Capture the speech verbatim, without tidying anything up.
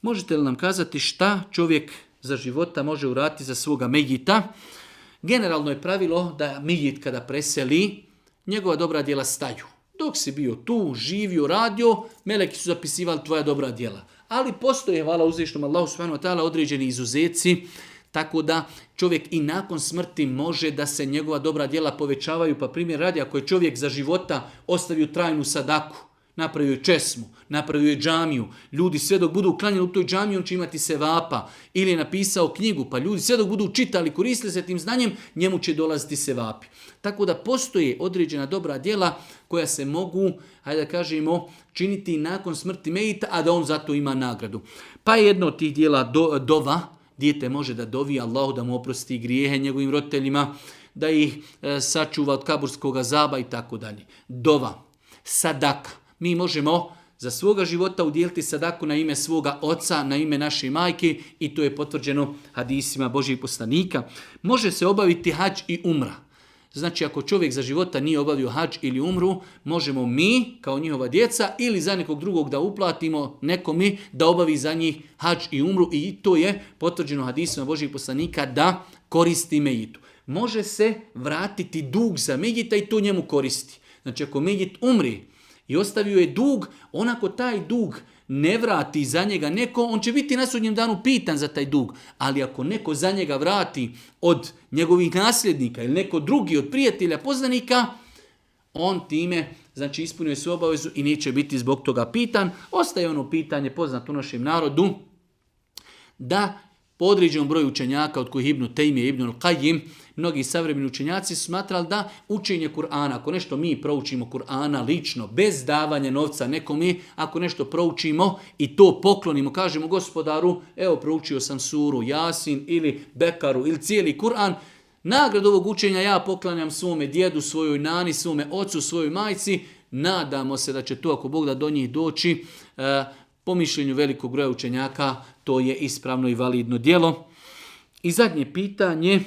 možete li nam kazati šta čovjek za života može uraditi za svoga mejita? Generalno je pravilo da mejit kada preseli, njegova dobra djela staju. Dok si bio tu, živio, radio, meleki su zapisivali tvoja dobra djela. Ali postoje, hvala uzvišnom Allahu subhanahu wa ta'ala, određeni izuzeci, tako da čovjek i nakon smrti može da se njegova dobra djela povećavaju. Pa primjer radi, ako je čovjek za života ostavio trajnu sadaku, napravio je česmu, napravio je džamiju, ljudi sve dok budu uklanjeni u toj džamiji, on će imati sevapa. Ili je napisao knjigu, pa ljudi sve dok budu čitali, koristili se tim znanjem, njemu će dolaziti sevapi. Tako da postoje određena dobra djela koja se mogu, hajde da kažemo, činiti nakon smrti mejita, a da on zato ima nagradu. Pa je jedno od tih djela do, dova, dijete može da dovi Allahu da mu oprosti grijehe njegovim roditeljima, da ih e, sačuva od kaburskog azaba i tako dalje. Dova, sadaka. Mi možemo za svoga života udjeliti sadaku na ime svoga oca, na ime naše majke i to je potvrđeno hadisima Božjih poslanika. Može se obaviti hadž i umra. Znači ako čovjek za života nije obavio hadž ili umru, možemo mi kao njihova djeca ili za nekog drugog da uplatimo nekome da obavi za njih hadž i umru i to je potvrđeno hadisima Božjih poslanika da koristi mejitu. Može se vratiti dug za mejita i to njemu koristi. Znači ako mejit umri i ostavio je dug, onako taj dug ne vrati za njega neko, on će biti na sudnjem danu pitan za taj dug. Ali ako neko za njega vrati od njegovih nasljednika ili neko drugi od prijatelja, poznanika, on time znači ispunio svoju obavezu i neće biti zbog toga pitan. Ostaje ono pitanje poznato u našem narodu da po određenom broju učenjaka, od kojih Ibn Tejmije, Ibn Al-Qajim, mnogi savremeni učenjaci su smatrali da učenje Kur'ana, ako nešto mi proučimo Kur'ana lično, bez davanja novca nekome, ako nešto proučimo i to poklonimo, kažemo gospodaru, evo proučio sam suru Jasin ili Bekaru ili cijeli Kur'an, nagradu ovog učenja ja poklanjam svome djedu, svojoj nani, svome ocu, svojoj majci, nadamo se da će to, ako Bog da do njih doći, e, po mišljenju velikog broja učenjaka, to je ispravno i validno djelo. I zadnje pitanje,